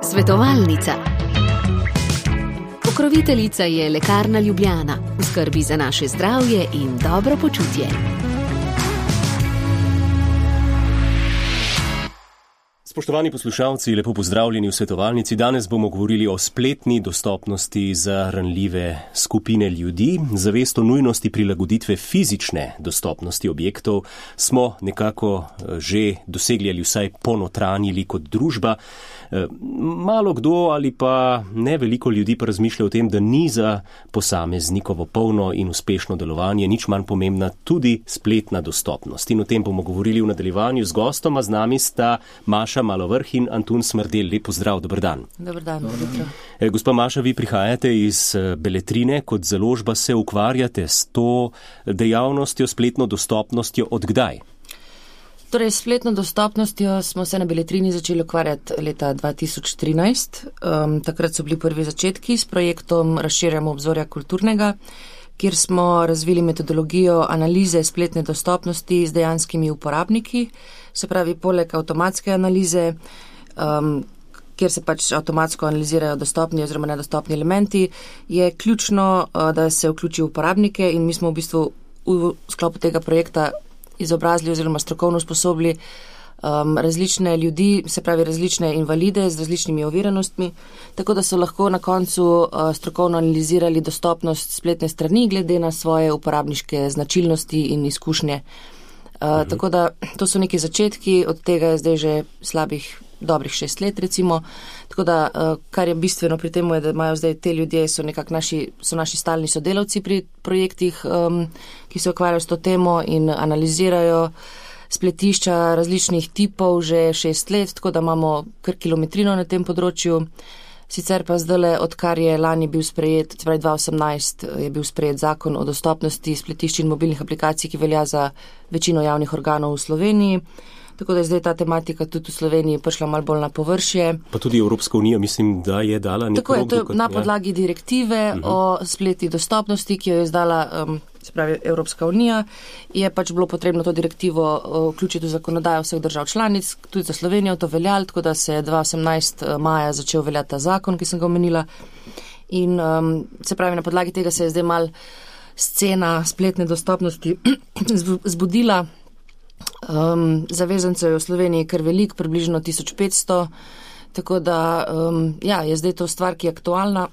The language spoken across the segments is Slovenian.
Svetovalnica. Pokroviteljica je Lekarna Ljubljana, v skrbi za naše zdravje in dobro počutje. Spoštovani poslušalci, lepo pozdravljeni v Svetovalnici. Danes bomo govorili o spletni dostopnosti za ranljive skupine ljudi. Zavest o nujnosti prilagoditve fizične dostopnosti objektov smo nekako že dosegli ali vsaj ponotranjili kot družba. Malo kdo ali pa ne veliko ljudi pa razmišlja o tem, da ni za posameznikovo polno in uspešno delovanje nič manj pomembna tudi spletna dostopnost. In o tem bomo govorili v nadaljevanju z gostoma. Z nami sta Maša Malovrh in Antun Smrdelj. Lep pozdrav, dober dan. Dober dan, dobro. Gospa Maša, vi prihajate iz Beletrine, kot založba se ukvarjate s to dejavnostjo, spletno dostopnostjo od kdaj? Torej, s spletno dostopnostjo smo se na Beletrini začeli ukvarjati leta 2013. Takrat so bili prvi začetki s projektom Razširjamo obzorja kulturnega, kjer smo razvili metodologijo analize spletne dostopnosti z dejanskimi uporabniki. Se pravi, poleg avtomatske analize, kjer se pač avtomatsko analizirajo dostopni oziroma nedostopni elementi, je ključno, da se vključi uporabnike in mi smo v bistvu v sklopu tega projekta izobrazili oziroma strokovno usposobili različne ljudi, se pravi različne invalide z različnimi oviranostmi, tako da so lahko na koncu strokovno analizirali dostopnost spletne strani glede na svoje uporabniške značilnosti in izkušnje. Tako da to so neki začetki, od tega je zdaj že slabih dobrih 6 let recimo, tako da kar je bistveno pri tem je, da imajo zdaj te ljudje, so naši stalni sodelavci pri projektih, ki se ukvarjajo s to temo in analizirajo spletišča različnih tipov že 6 let, tako da imamo kar kilometrino na tem področju. Sicer pa zdajle, odkar je lani bil sprejet, torej 2018 je bil sprejet zakon o dostopnosti spletišč in mobilnih aplikacij, ki velja za večino javnih organov v Sloveniji. Tako da je zdaj ta tematika tudi v Sloveniji prišla malo bolj na površje. Pa tudi Evropska unija, mislim, da je dala nekaj. Tako je, to je na podlagi direktive o spletni dostopnosti, ki jo je izdala, se pravi Evropska unija, je pač bilo potrebno to direktivo vključiti v zakonodajo vseh držav članic, tudi za Slovenijo to veljalo, tako da se je 2018 maja začel veljati ta zakon, ki sem ga omenila. In se pravi, na podlagi tega se je zdaj mal scena spletne dostopnosti zbudila. Zavezancev je v Sloveniji kar velik, približno 1500, tako da je zdaj to stvar, ki je aktualna.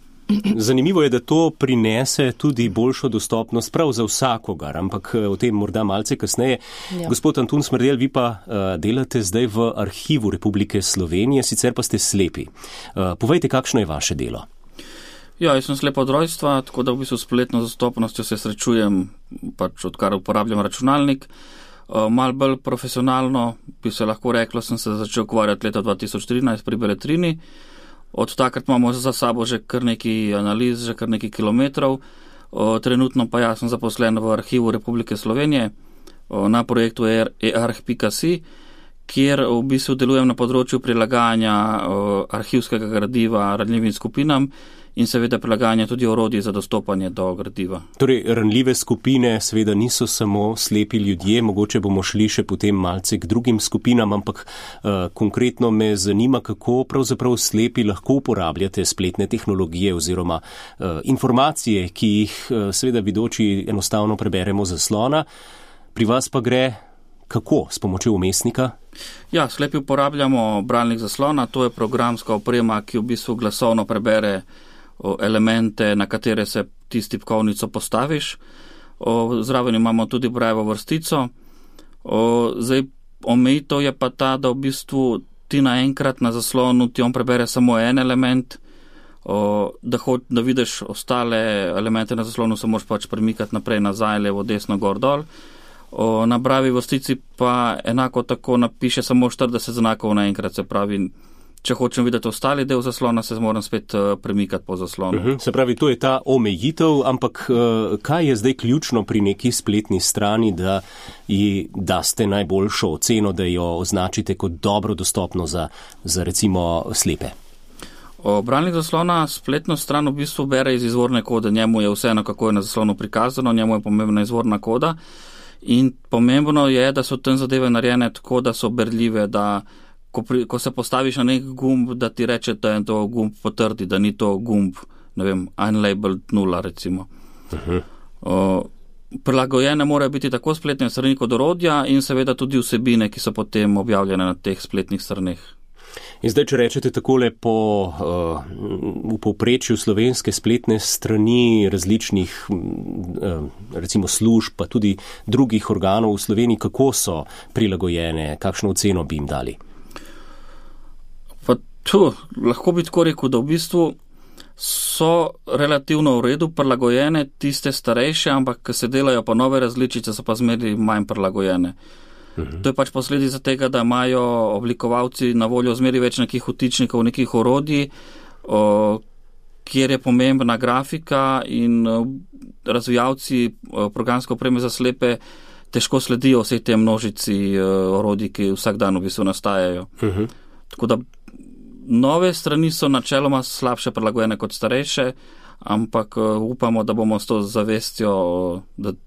Zanimivo je, da to prinese tudi boljšo dostopnost prav za vsakogar, ampak o tem morda malce kasneje. Ja. Gospod Antun Smrdelj, vi pa delate zdaj v Arhivu Republike Slovenije, sicer pa ste slepi. Povejte, kakšno je vaše delo? Ja, jaz sem slep od rojstva, tako da v bistvu spletno dostopnostjo se srečujem, pač odkar uporabljam računalnik. Malo bolj profesionalno, bi se lahko reklo, sem se začel ukvarjati leta 2013 pri Beletrini. Od takrat imamo za sabo že kar nekaj analiz, že kar nekaj kilometrov. Trenutno pa jaz sem zaposlen v Arhivu Republike Slovenije na projektu eArch.si, kjer v bistvu delujem na področju prilagajanja arhivskega gradiva ranljivim skupinam in seveda prilagajanja tudi orodij za dostopanje do gradiva. Torej, ranljive skupine seveda niso samo slepi ljudje, mogoče bomo šli še potem malce k drugim skupinam, ampak konkretno me zanima, kako pravzaprav slepi lahko uporabljate spletne tehnologije oziroma informacije, ki jih seveda vidoči enostavno preberemo z zaslona. Pri vas pa gre kako? S pomočjo vmesnika? Ja, slepi uporabljamo bralnik zaslona, to je programska oprema, ki v bistvu glasovno prebere elemente, na katere se ti s tipkovnico postaviš. Zraven imamo tudi brajevo vrstico. Zdaj, omejitev je pa ta, da v bistvu ti naenkrat na zaslonu ti on prebere samo en element, da vidiš ostale elemente na zaslonu, se moraš pač premikati naprej, nazaj, levo, desno, gor, dol. Na brajevi vrstici pa enako tako napiše samo 40 znakov naenkrat, se pravi, če hočem videti ostali del zaslona, se moram spet premikati po zaslonu. Se pravi, to je ta omejitev, ampak kaj je zdaj ključno pri neki spletni strani, da ji daste najboljšo oceno, da jo označite kot dobro dostopno za recimo slepe? Bralnik zaslona spletno stran v bistvu bere iz izvorne kode, njemu je vseeno, kako je na zaslonu prikazano, njemu je pomembna izvorna koda in pomembno je, da so tam zadeve narejene tako, da so berljive, da ko se postaviš na nek gumb, da ti reče, da je to gumb potrdi, da ni to gumb, ne vem, unlabeled 0 recimo. Prilagojene morajo biti tako spletne strani kot orodja in seveda tudi vsebine, ki so potem objavljene na teh spletnih straneh. In zdaj, če rečete takole v povprečju slovenske spletne strani različnih recimo služb, pa tudi drugih organov v Sloveniji, kako so prilagojene, kakšno oceno bi jim dali? Pa lahko bi tako rekel, da v bistvu so relativno v redu prilagojene tiste starejše, ampak ko se delajo pa nove različice, so pa zmeraj manj prilagojene. To je pač posledica tega, da imajo oblikovalci na voljo zmeraj več nekih vtičnikov, nekih orodij, kjer je pomembna grafika in razvijalci programske opreme za slepe težko sledijo vsej te množici orodij, ki vsak dan v bistvu nastajajo. Tako da nove strani so načeloma slabše prilagojene kot starejše, ampak upamo, da bomo s to zavestjo,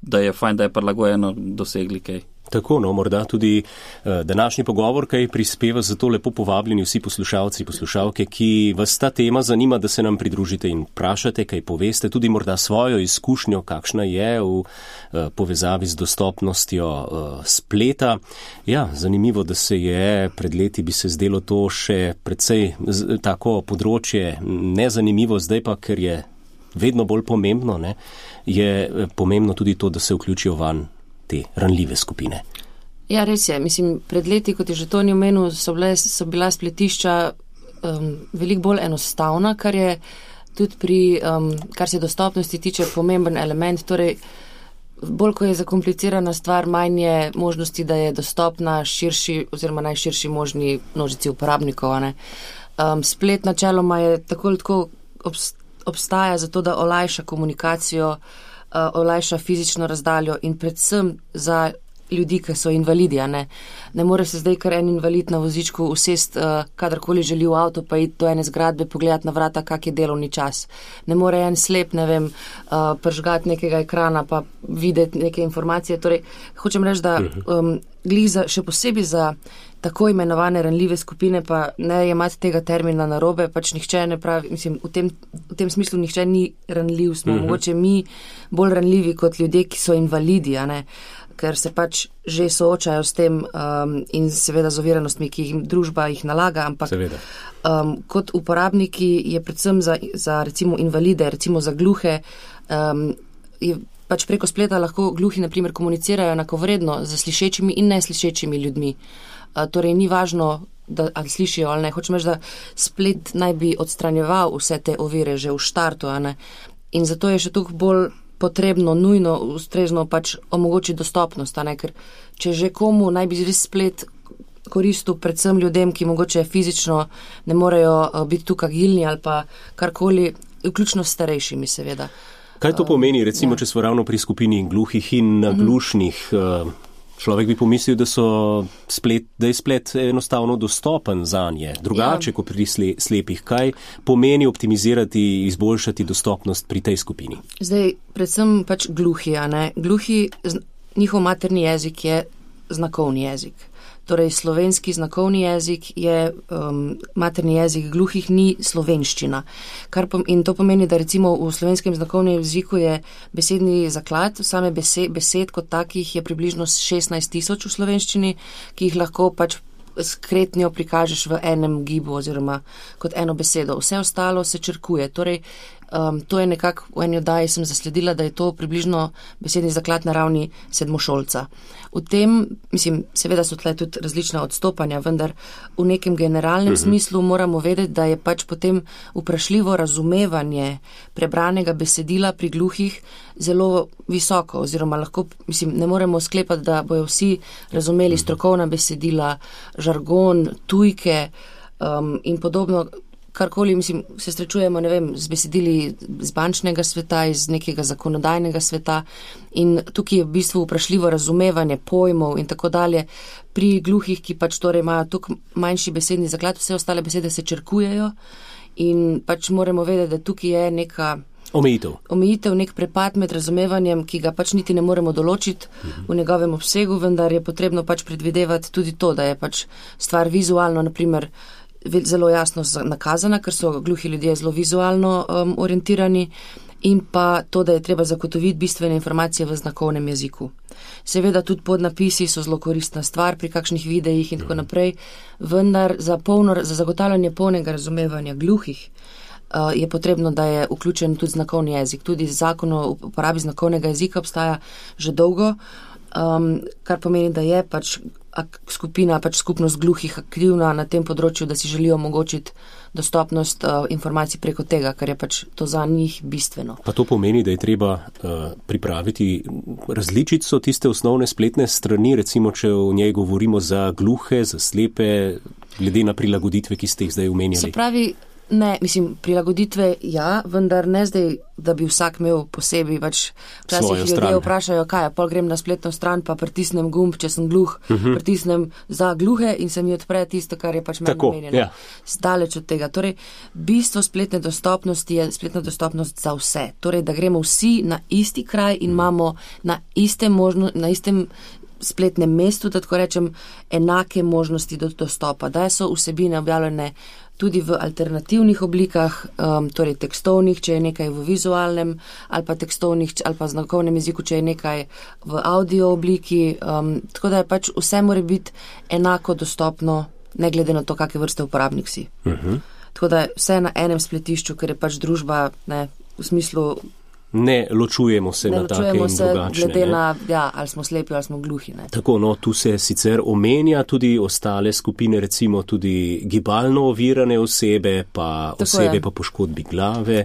da je fajn, da je prilagojeno, dosegli kaj. Tako, morda tudi današnji pogovor, kaj prispeva, zato lepo povabljeni vsi poslušalci, poslušalke, ki vas ta tema zanima, da se nam pridružite in vprašate, kaj poveste, tudi morda svojo izkušnjo, kakšna je v povezavi z dostopnostjo spleta. Ja, zanimivo, da se je pred leti bi se zdelo to še precej tako področje nezanimivo, zdaj pa, ker je vedno bolj pomembno, je pomembno tudi to, da se vključijo van te ranljive skupine. Ja, res je. Mislim, pred leti, kot je že Toni omenil, so bila spletišča veliko bolj enostavna, kar je tudi pri, kar se dostopnosti tiče, pomemben element. Torej, bolj ko je zakomplicirana stvar, manj je možnosti, da je dostopna širši oziroma najširši možni množici uporabnikov. Splet načeloma je tako ali tako obstaja zato, da olajša komunikacijo, olajša fizično razdaljo in predvsem za ljudi, ki so invalidi. Ne more se zdaj kar en invalid na vozičku usest, kadarkoli želi v avto, pa iti do ene zgradbe, pogledati na vrata, kak je delovni čas. Ne more en slep, pržgati nekega ekrana, pa videti neke informacije. Torej, hočem reči, da še posebej za tako imenovane ranljive skupine, pa ne jemati tega termina narobe, pač nihče ne pravi, mislim, v tem smislu nihče ni ranljiv, smo mogoče mi bolj ranljivi kot ljudje, ki so invalidi, ker se pač že soočajo s tem in seveda z oviranostmi, ki jih družba jih nalaga, ampak kot uporabniki je predvsem za recimo invalide, recimo za gluhe, je pač preko spleta lahko gluhi na primer komunicirajo enakovredno z slišečimi in neslišečimi ljudmi. Torej ni važno, ali slišijo ali ne. Hočem reči, da splet naj bi odstranjeval vse te ovire že v štartu, in zato je še toliko bolj potrebno, nujno, ustrezno pač omogočiti dostopnost, ker če že komu naj bi res splet koristil predvsem ljudem, ki mogoče fizično ne morejo biti tukaj agilni ali pa karkoli, vključno s starejšimi seveda. Kaj to pomeni, recimo, če smo ravno pri skupini gluhih in naglušnih? Človek bi pomislil, da je splet enostavno dostopen zanje, drugače kot pri slepih. Kaj pomeni optimizirati, izboljšati dostopnost pri tej skupini? Zdaj, predvsem pač gluhi, Gluhi, njihov materni jezik je znakovni jezik. Torej, slovenski znakovni jezik je materni jezik gluhih, ni slovenščina. In to pomeni, da recimo v slovenskem znakovnem jeziku je besedni zaklad, same besed kot takih je približno 16,000 v slovenščini, ki jih lahko pač s kretnjo prikažeš v enem gibu oziroma kot eno besedo. Vse ostalo se črkuje. Torej, to je nekako v eni oddaji sem zasledila, da je to približno besedni zaklad na ravni sedmošolca. V tem, mislim, seveda so tle tudi različna odstopanja, vendar v nekem generalnem smislu moramo vedeti, da je pač potem vprašljivo razumevanje prebranega besedila pri gluhih zelo visoko, oziroma lahko, mislim, ne moremo sklepati, da bojo vsi razumeli strokovna besedila, žargon, tujke in podobno. Karkoli, mislim, se srečujemo, ne vem, z besedili z bančnega sveta, iz nekega zakonodajnega sveta in tukaj je v bistvu vprašljivo razumevanje pojmov in tako dalje. Pri gluhih, ki pač torej imajo tukaj manjši besedni zaklad, vse ostale besede se črkujejo in pač moramo vedeti, da tukaj je neka Omejitev, nek prepad med razumevanjem, ki ga pač niti ne moremo določiti v njegovem obsegu, vendar je potrebno pač predvidevati tudi to, da je pač stvar vizualno, naprimer, zelo jasno nakazana, ker so gluhi ljudje zelo vizualno orientirani, in pa to, da je treba zagotoviti bistvene informacije v znakovnem jeziku. Seveda tudi podnapisi so zelo koristna stvar pri kakšnih videih in tako naprej, vendar za zagotavljanje polnega razumevanja gluhih je potrebno, da je vključen tudi znakovni jezik. Tudi zakon o uporabi znakovnega jezika obstaja že dolgo, kar pomeni, da je pač skupina, pač skupnost gluhih aktivna na tem področju, da si želijo omogočiti dostopnost informacij preko tega, kar je pač to za njih bistveno. Pa to pomeni, da je treba pripraviti različico tiste osnovne spletne strani, recimo, če o njej govorimo za gluhe, za slepe, glede na prilagoditve, ki ste jih zdaj omenjali. Se pravi, ne, prilagoditve ja, vendar ne zdaj, da bi vsak imel posebej, pač včasih ljudje vprašajo, kaj, pol grem na spletno stran, pa pritisnem gumb, če sem gluh, pritisnem za gluhe in se mi odpre tisto, kar je pač meni namenjeno. Ja. Daleč od tega. Torej, bistvo spletne dostopnosti je spletna dostopnost za vse. Torej, da gremo vsi na isti kraj in imamo na istem spletnem mestu, da tako rečem, enake možnosti do dostopa. Da so vsebine objavljene tudi v alternativnih oblikah, torej tekstovnih, če je nekaj v vizualnem, ali pa tekstovnih, ali pa znakovnem jeziku, če je nekaj v audio obliki, tako da je pač vse mora biti enako dostopno, ne glede na to, kakve vrste uporabnik si. Tako da je vse na enem spletišču, ker je pač družba, ne, v smislu Ne ločujemo se na take in drugačne. Glede na, ali smo slepi, ali smo gluhi. Ne. Tako, no, tu se sicer omenja tudi ostale skupine, recimo tudi gibalno ovirane osebe, pa osebe pa poškodbi glave,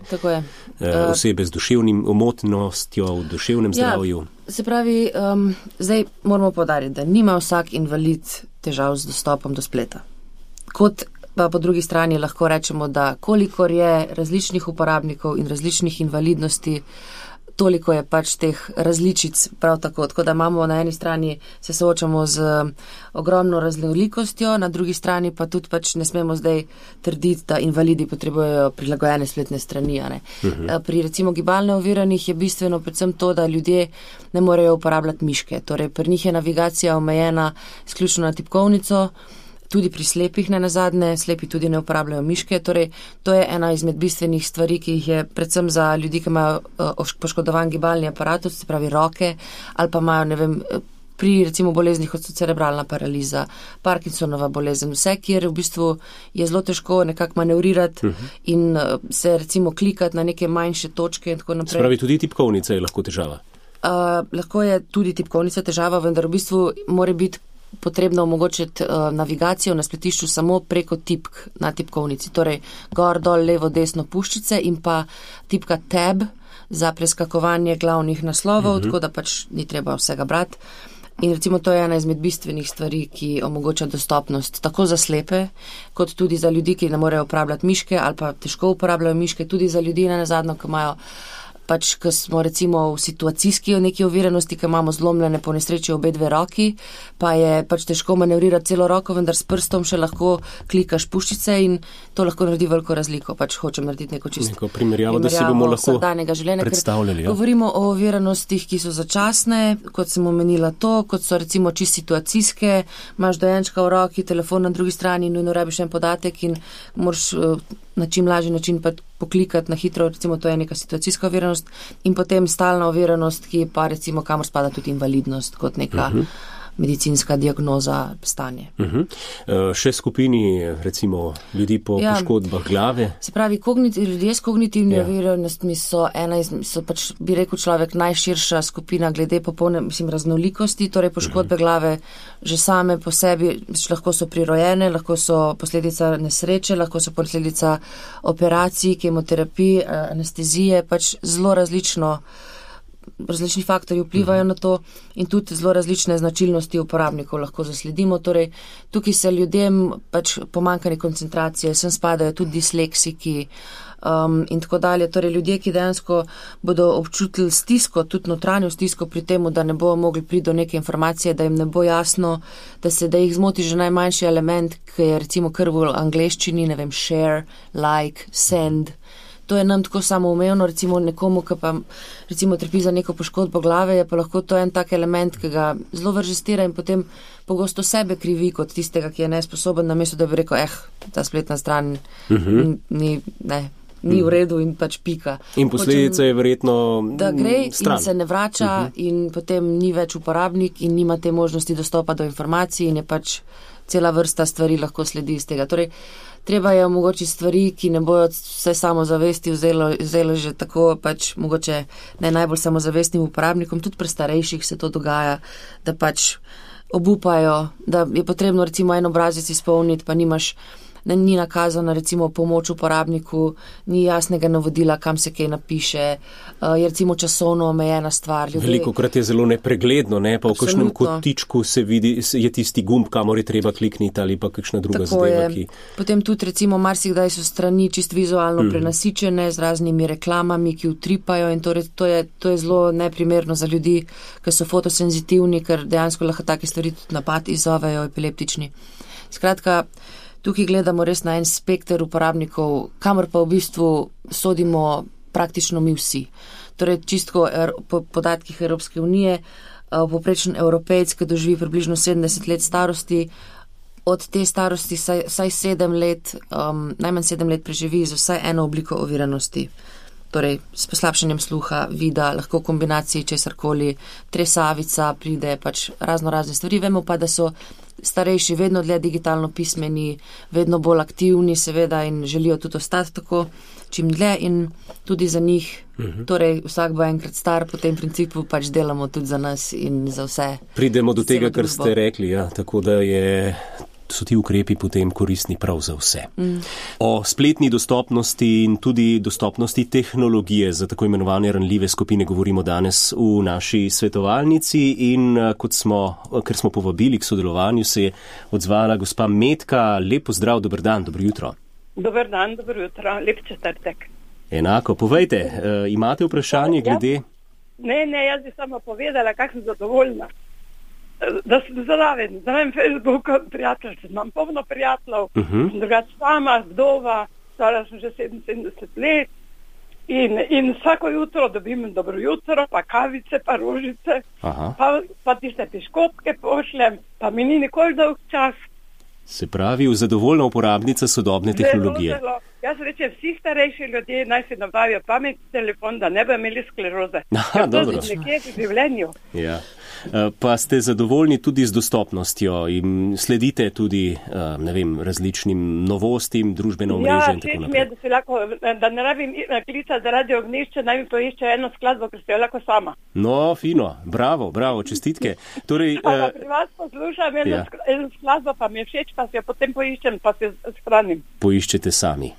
osebe z duševnim omotnostjo v duševnem zdravju. Se pravi, zdaj moramo poudariti, da nima vsak invalid težav z dostopom do spleta. Kot pa po drugi strani lahko rečemo, da kolikor je različnih uporabnikov in različnih invalidnosti, toliko je pač teh različic prav tako. Tako da imamo na eni strani se soočamo z ogromno raznolikostjo, na drugi strani pa tudi pač ne smemo zdaj trditi, da invalidi potrebujejo prilagojene spletne strani. Pri recimo gibalno oviranih je bistveno predvsem to, da ljudje ne morejo uporabljati miške. Torej pri njih je navigacija omejena izključno na tipkovnico, tudi pri slepih ne nazadnje, slepi tudi ne uporabljajo miške, torej to je ena izmed bistvenih stvari, ki jih je predvsem za ljudi, ki imajo poškodovan gibalni aparatus, se pravi roke, ali pa imajo, ne vem, pri recimo boleznih kot so cerebralna paraliza, Parkinsonova bolezen, vse, kjer v bistvu je zelo težko nekako manevrirati in se recimo klikati na neke manjše točke in tako naprej. Se pravi, tudi tipkovnica je lahko težava? Lahko je tudi tipkovnica težava, vendar v bistvu mora biti potrebno omogočiti navigacijo na spletišču samo preko tipk na tipkovnici. Torej, gor, dol, levo, desno puščice in pa tipka tab za preskakovanje glavnih naslovov, tako da pač ni treba vsega brati. In recimo to je ena izmed bistvenih stvari, ki omogoča dostopnost tako za slepe, kot tudi za ljudi, ki ne morejo uporabljati miške ali pa težko uporabljajo miške, tudi za ljudi nenazadnje, ki imajo pač, ko smo recimo v situacijski neki oviranosti, ko imamo zlomljene po nesreči obe dve roki, pa je pač težko manevrirati celo roko, vendar s prstom še lahko klikaš puščice in to lahko naredi veliko razliko. Pač hočem narediti neko primerjavo, da si bomo lahko predstavljali. Govorimo o oviranostih, ki so začasne, kot sem omenila to, kot so recimo čisto situacijske, imaš dojenčka v roki, telefon na drugi strani, nujno rabiš en podatek in moraš na čim lažji način pa poklikati na hitro, recimo to je neka situacijska oviranost in potem stalna oviranost, ki pa recimo kamor spada tudi invalidnost kot neka medicinska diagnoza stanje. Še skupini recimo ljudi po poškodbah glave? Se pravi, ljudje s kognitivnimi oviranostmi so pač, bi rekel človek, najširša skupina glede popolne, raznolikosti, torej poškodbe glave že same po sebi lahko so prirojene, lahko so posledica nesreče, lahko so posledica operacij, kemoterapij, anestezije, pač zelo različni faktorji vplivajo na to in tudi zelo različne značilnosti uporabnikov lahko zasledimo. Torej, tukaj se ljudem pač pomanjkanje koncentracije, sem spadajo tudi disleksiki in tako dalje. Torej, ljudje, ki dejansko bodo občutili stisko, tudi notranjo stisko pri temu, da ne bojo mogli priti do neke informacije, da jim ne bo jasno, da jih zmoti že najmanjši element, ki je recimo kar v angleščini, ne vem, share, like, send. to je nam tako samoumevno, recimo nekomu, ki pa recimo trpi za neko poškodbo glave, je pa lahko to en tak element, ki ga zelo vrže stira in potem pogosto sebe krivi kot tistega, ki je nesposoben, namesto da bi rekel, ta spletna stran ni v redu in pač pika. In posledica je verjetno da gre stran. In se ne vrača in potem ni več uporabnik in nima te možnosti dostopa do informacij in je pač cela vrsta stvari lahko sledi iz tega. Torej, treba je omogočiti stvari, ki ne bojo vse samozavesti vzelo že tako pač mogoče ne najbolj samozavestnim uporabnikom, tudi pri starejših se to dogaja, da pač obupajo, da je potrebno recimo en obrazec izpolniti, pa ni nakazana recimo pomoč uporabniku, ni jasnega navodila, kam se kaj napiše, je recimo časovno omejena stvar. Velikokrat je zelo nepregledno, ne? Pa v kakšnem kotičku se vidi, je tisti gumb, kamor je treba klikniti ali pa kakšna druga zadeva, ki... Potem tudi recimo marsikdaj so strani čist vizualno prenasičene z raznimi reklamami, ki utripajo in torej to je zelo neprimerno za ljudi, ki so fotosenzitivni, ker dejansko lahko take stvari tudi napad izzovejo epileptični. Skratka, tukaj gledamo res na en spekter uporabnikov, kamor pa v bistvu sodimo praktično mi vsi. Torej, čistko po podatkih Evropske unije, povprečen Evropejec, ki doživi približno 70 let starosti, od te starosti vsaj 7 let, najmanj 7 let preživi z vsaj eno obliko oviranosti. Torej, s poslabšanjem sluha, vida, lahko kombinaciji česarkoli, tresavica, pride pač razne stvari. Vemo pa, da so starejši vedno dlje digitalno pismeni, vedno bolj aktivni seveda in želijo tudi ostati tako čim dlje in tudi za njih, torej vsak bo enkrat star, po tem principu pač delamo tudi za nas in za vse. Pridemo do tega, kar ste rekli, tako da so ti ukrepi potem koristni prav za vse. O spletni dostopnosti in tudi dostopnosti tehnologije za tako imenovane ranljive skupine govorimo danes v naši svetovalnici in ker smo povabili k sodelovanju, se je odzvala gospa Metka. Lep pozdrav, dober dan, dobro jutro. Dober dan, dobro jutro, lep četrtek. Enako, povejte, imate vprašanje glede? Ne, jaz bi samo povedala, kako sem zadovoljna. Da sem zraven, znam Facebooku prijateljstvo, imam polno prijateljev, drugače sama, vdova, stara sem že 77 let in vsako jutro dobim dobro jutro, pa kavice, pa rožice, pa tiste piškotke pošljem, pa mi ni nikoli dolg čas. Se pravi, zadovoljna uporabnica sodobne tehnologije. Zelo. Jaz rečem, vsi starejši ljudje naj si nabavijo pametni telefon, da ne bi imeli skleroze. Dobro. To je nekje v življenju. Ja. Pa ste zadovoljni tudi z dostopnostjo in sledite tudi, različnim novostim, družbeno omrežje in tako naprej. Ja, lahko, da ne rabim klicati zaradi ognjišča, naj mi poišče eno skladbo, ker se jo lahko sama. No, fino, bravo, čestitke. Torej, pri vas poslušam eno skladbo, pa mi je všeč, pa si jo potem poiščem, pa si jo shranim. Poiščete sami.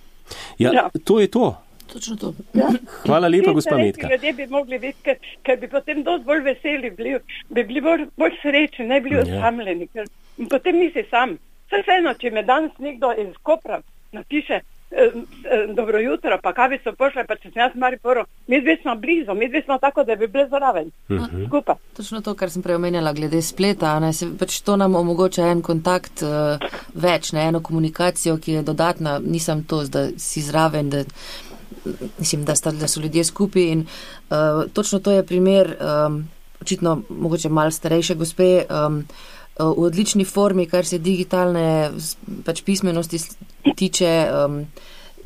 Ja, to je to. Točno to. Ja. Hvala lepa, gospa Metka. Ljudje bi mogli biti, ker bi potem dosti bolj veseli bili, bi bili bolj srečni, ne bili osamljeni, ker potem nisi sam. Vseeno, če me danes nekdo iz Kopra napiše dobro jutro, pa kavico pošle, pa če sem jaz Mariboru, mi dve smo blizu, mi dve smo tako, da bi bili zraven. Skupaj. Točno to, kar sem prej omenjala glede spleta, pač to nam omogoča en kontakt več, eno komunikacijo, ki je dodatna, nisem to, da si zraven, da mislim, da so ljudje skupaj in točno to je primer, očitno mogoče malo starejše gospe, v odlični formi, kar se digitalne pač pismenosti tiče,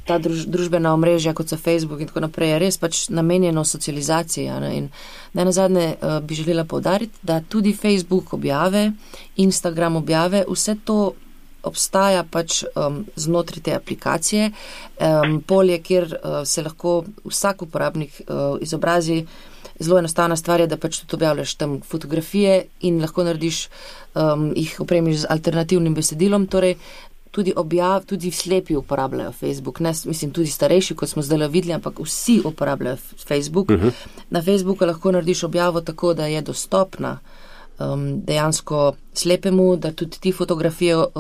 ta družbena omrežja, kot so Facebook in tako naprej, je res pač namenjeno socializaciji. In najnazadnje bi želela poudariti, da tudi Facebook objave, Instagram objave, vse to obstaja pač znotraj te aplikacije, polje, kjer se lahko vsak uporabnik izobrazi. Zelo enostavna stvar je, da pač tudi objavljaš tam fotografije in lahko narediš, jih opremiš z alternativnim besedilom, torej tudi slepi uporabljajo Facebook. Ne, mislim, tudi starejši, kot smo zdaj videli, ampak vsi uporabljajo Facebook. Na Facebooku lahko narediš objavo tako, da je dostopna dejansko slepemu, da tudi ti fotografijo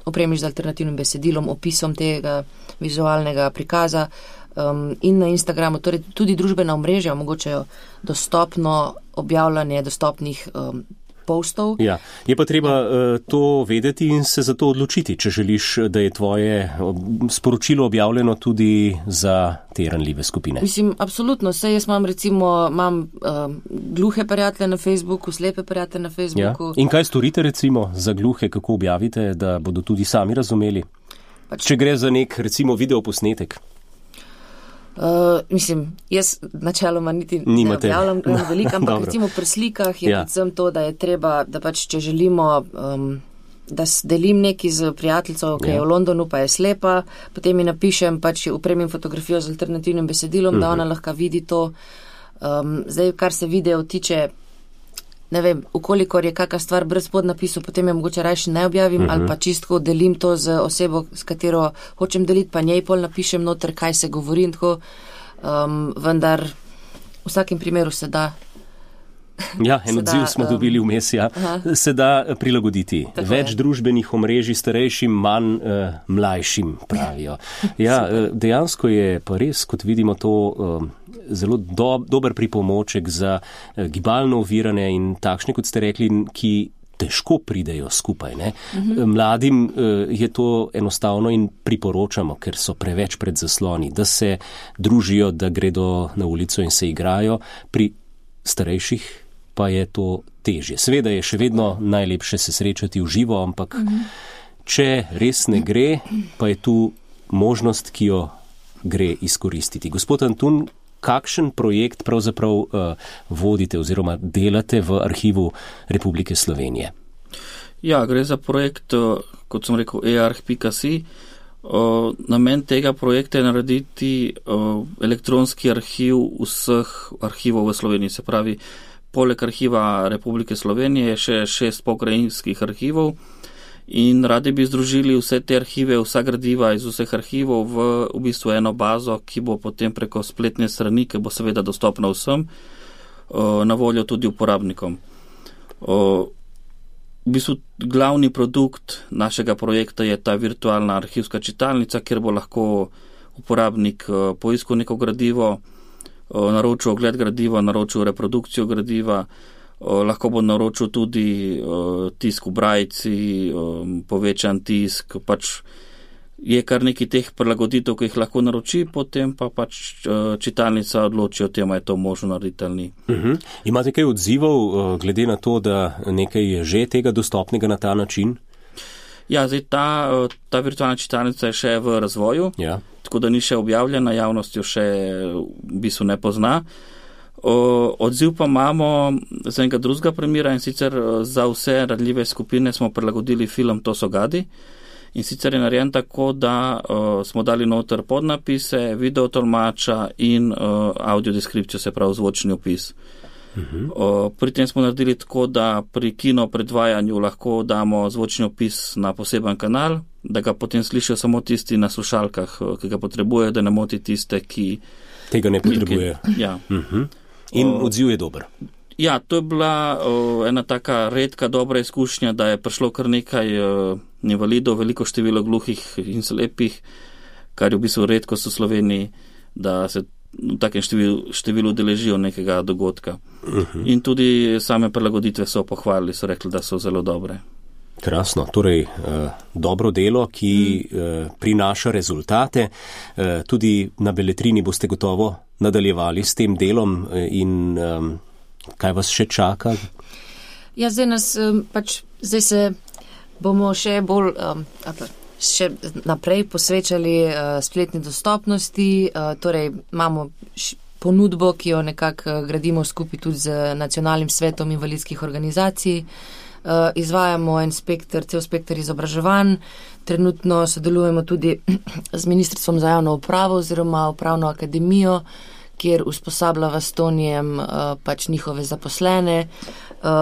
opremiš z alternativnim besedilom, opisom tega vizualnega prikaza in na Instagramu. Torej tudi družbena omrežja omogočajo dostopno objavljanje dostopnih postov. Ja, je pa treba to vedeti in se za to odločiti, če želiš, da je tvoje sporočilo objavljeno tudi za te ranljive skupine. Mislim, absolutno. Saj jaz imam gluhe prijatelje na Facebooku, slepe prijatelje na Facebooku. Ja. In kaj storite recimo za gluhe, kako objavite, da bodo tudi sami razumeli? Če gre za nek, recimo, videoposnetek. Jaz načeloma niti ne objavljam veliko, ampak recimo pri slikah je predvsem to, da je treba, da pač če želimo, da delim nekaj z prijateljco, ki je v Londonu, pa je slepa, potem mi napišem, pač upremim fotografijo z alternativnim besedilom, da ona lahko vidi to. Zdaj, kar se video tiče, ne vem, ukolikor je kakšna stvar brez podnapisov, potem je mogoče rajši ne objavim, ali pa čistko delim to z osebo, s katero hočem deliti, pa njej pol napišem noter, kaj se govori in tako, vendar v vsakem primeru se da. Ja, en odziv smo dobili vmes, ja. Se da prilagoditi. Tako več družbenih omrežij starejšim, manj mlajšim, pravijo. Ja, dejansko je pa res, kot vidimo, to zelo dober pripomoček za gibalno ovirane in takšne, kot ste rekli, ki težko pridejo skupaj. Ne? Mladim je to enostavno in priporočamo, ker so preveč pred zasloni, da se družijo, da gredo na ulico in se igrajo. Pri starejših pa je to težje. Seveda je še vedno najlepše se srečati v živo, ampak če res ne gre, pa je tu možnost, ki jo gre izkoristiti. Gospod Antun, kakšen projekt pravzaprav vodite oziroma delate v Arhivu Republike Slovenije? Ja, gre za projekt, kot sem rekel, earch.si. Namen tega projekta je narediti elektronski arhiv vseh arhivov v Sloveniji. Se pravi, poleg Arhiva Republike Slovenije je še 6 pokrajinskih arhivov in radi bi združili vse te arhive, vsa gradiva iz vseh arhivov v bistvu eno bazo, ki bo potem preko spletne strani, ki bo seveda dostopna vsem, na voljo tudi uporabnikom. V bistvu glavni produkt našega projekta je ta virtualna arhivska čitalnica, kjer bo lahko uporabnik poiskal neko gradivo, naročil ogled gradiva, naročil reprodukcijo gradiva, lahko bo naročil tudi tisk v brajci, povečan tisk, pač je kar nekaj teh prilagoditev, ki jih lahko naroči, potem pa pač čitalnica odloči o tem, je to možno narediti ali ni. Imate kaj odzivov, glede na to, da nekaj je že tega dostopnega na ta način? Ja, zdaj ta virtualna čitalnica je še v razvoju, tako da ni še objavljena, javnost jo še v bistvu ne pozna. Odziv pa imamo za enega drugega primera, in sicer za vse ranljive skupine smo prilagodili film To so gadi. In sicer je narejen tako, da smo dali noter podnapise, video tolmača in audiodeskripcijo, se pravi zvočni opis. Pri tem smo naredili tako, da pri kino predvajanju lahko damo zvočni opis na poseben kanal, da ga potem slišijo samo tisti na slušalkah, ki ga potrebujejo, da ne moti tiste, ki tega ne potrebujejo. Ja. In odziv je dober. Ja, to je bila ena taka redka dobra izkušnja, da je prišlo kar nekaj invalidov, veliko število gluhih in slepih, kar je v bistvu redkost v Sloveniji, da se v takem številu deležijo nekega dogodka. In tudi same prilagoditve so pohvalili, so rekli, da so zelo dobre. Krasno, torej dobro delo, ki prinaša rezultate. Tudi na Beletrini boste gotovo nadaljevali s tem delom in kaj vas še čaka? Ja, zdaj se bomo še bolj, še naprej posvečali spletni dostopnosti, torej imamo ponudbo, ki jo nekako gradimo skupaj tudi z Nacionalnim svetom invalidskih organizacij. Izvajamo cel spekter izobraževanj, trenutno sodelujemo tudi z Ministrstvom za javno upravo oziroma Upravno akademijo, kjer usposabljava s Tonijem pač njihove zaposlene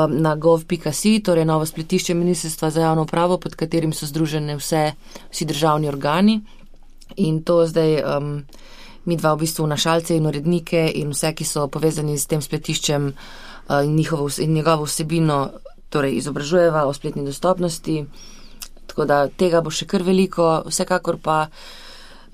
na gov.si, torej novo spletišče Ministrstva za javno upravo, pod katerim so združene vsi državni organi. In to zdaj mi dva v bistvu vnašalce in urednike in vse, ki so povezani s tem spletiščem in njegovo vsebino, torej izobražujeva o spletni dostopnosti. Tako da tega bo še kar veliko, vsekakor pa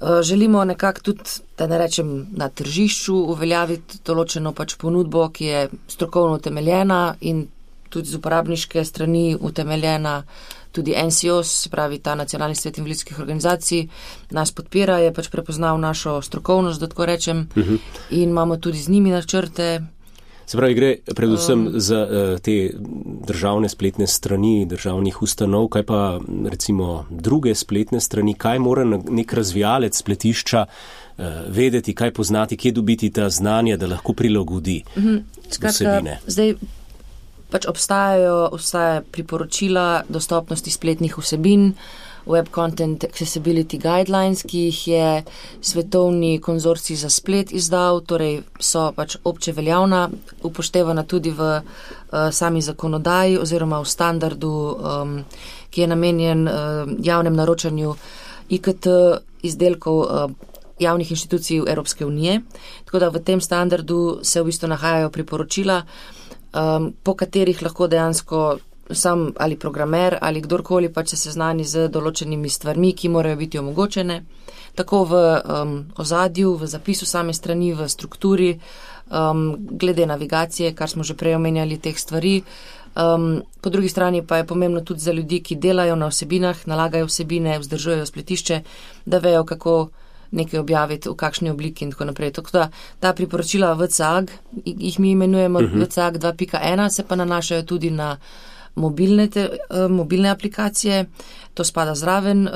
želimo nekako tudi, da ne rečem na tržišču, uveljaviti določeno pač ponudbo, ki je strokovno utemeljena in tudi z uporabniške strani utemeljena. Tudi NCOS, pravi ta Nacionalni svet invalidskih organizacij, nas podpira, je pač prepoznal našo strokovnost, da tako rečem, in imamo tudi z njimi načrte. Se pravi, gre predvsem za te državne spletne strani državnih ustanov, kaj pa recimo druge spletne strani, kaj mora nek razvijalec spletišča vedeti, kaj poznati, kje dobiti ta znanja, da lahko prilagodi vsebine. Zdaj pač obstaja priporočila dostopnosti spletnih vsebin, Web Content Accessibility Guidelines, ki jih je Svetovni konzorcij za splet izdal, torej so pač obče veljavna, upoštevana tudi v sami zakonodaji oziroma v standardu, ki je namenjen javnem naročanju IKT izdelkov javnih inštitucij Evropske unije. Tako da v tem standardu se v bistvu nahajajo priporočila, po katerih lahko dejansko sam ali programer ali kdorkoli pač se seznani z določenimi stvarmi, ki morajo biti omogočene, tako v ozadju, v zapisu same strani, v strukturi, glede navigacije, kar smo že prej omenjali teh stvari. Po drugi strani pa je pomembno tudi za ljudi, ki delajo na vsebinah, nalagajo vsebine, vzdržujejo spletišče, da vejo, kako nekaj objaviti, v kakšni obliki in tako naprej. Tako da ta priporočila VCAG, jih mi imenujemo VCAG 2.1, se pa nanašajo tudi na mobilne aplikacije, to spada zraven,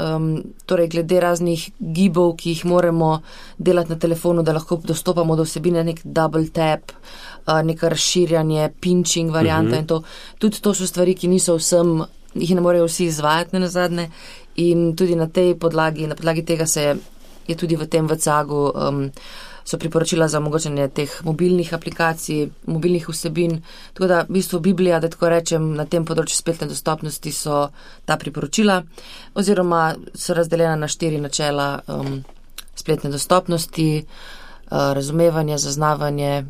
torej glede raznih gibov, ki jih moramo delati na telefonu, da lahko dostopamo do vsebine, nek double tap, neko razširjanje, pinching varianta in to. Tudi to so stvari, ki niso vsem, jih ne morejo vsi izvajati nazadnje in tudi na tej podlagi, na podlagi tega je tudi v tem VCAG-u so priporočila za omogočanje teh mobilnih aplikacij, mobilnih vsebin. Tako da v bistvu Biblija, da tako rečem, na tem področju spletne dostopnosti so ta priporočila oziroma so razdeljena na 4 načela spletne dostopnosti, razumevanje, zaznavanje,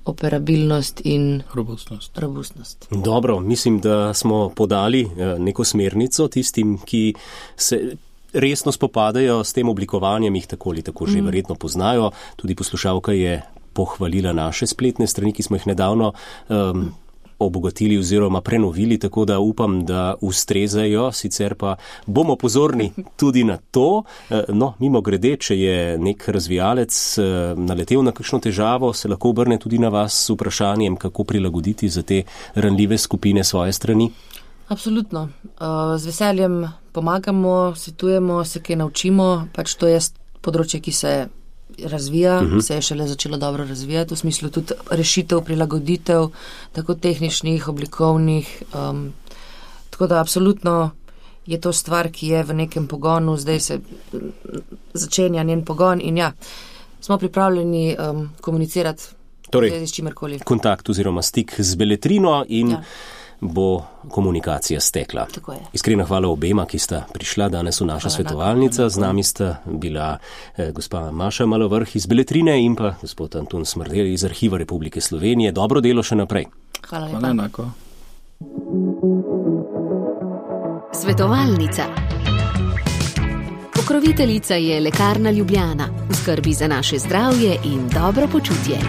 operabilnost in robustnost. Dobro, mislim, da smo podali neko smernico tistim, ki se resno spopadajo s tem oblikovanjem, jih tako ali tako že verjetno poznajo. Tudi poslušalka je pohvalila naše spletne strani, ki smo jih nedavno obogatili oziroma prenovili, tako da upam, da ustrezajo, sicer pa bomo pozorni tudi na to. No, mimo grede, če je nek razvijalec naletel na kakšno težavo, se lahko obrne tudi na vas s vprašanjem, kako prilagoditi za te ranljive skupine svoje strani. Absolutno. Z veseljem pomagamo, svetujemo, se kaj naučimo, pač to je področje, ki se razvija, se je šele začelo dobro razvijati, v smislu tudi rešitev, prilagoditev, tako tehničnih, oblikovnih, tako da absolutno je to stvar, ki je v nekem pogonu, zdaj se začenja njen pogon in ja, smo pripravljeni komunicirati torej, s čimerkoli. Kontakt oziroma stik z Beletrino in bo komunikacija stekla. Iskrena hvala obema, ki sta prišla danes v naša svetovalnica. Z nami sta bila gospa Maša Malovrh iz Beletrine in pa gospod Anton Smrdelj iz Arhiva Republike Slovenije. Dobro delo še naprej. Hvala lepa. Hvala enako. Svetovalnica. Pokroviteljica je Lekarna Ljubljana. V skrbi za naše zdravje in dobro počutje.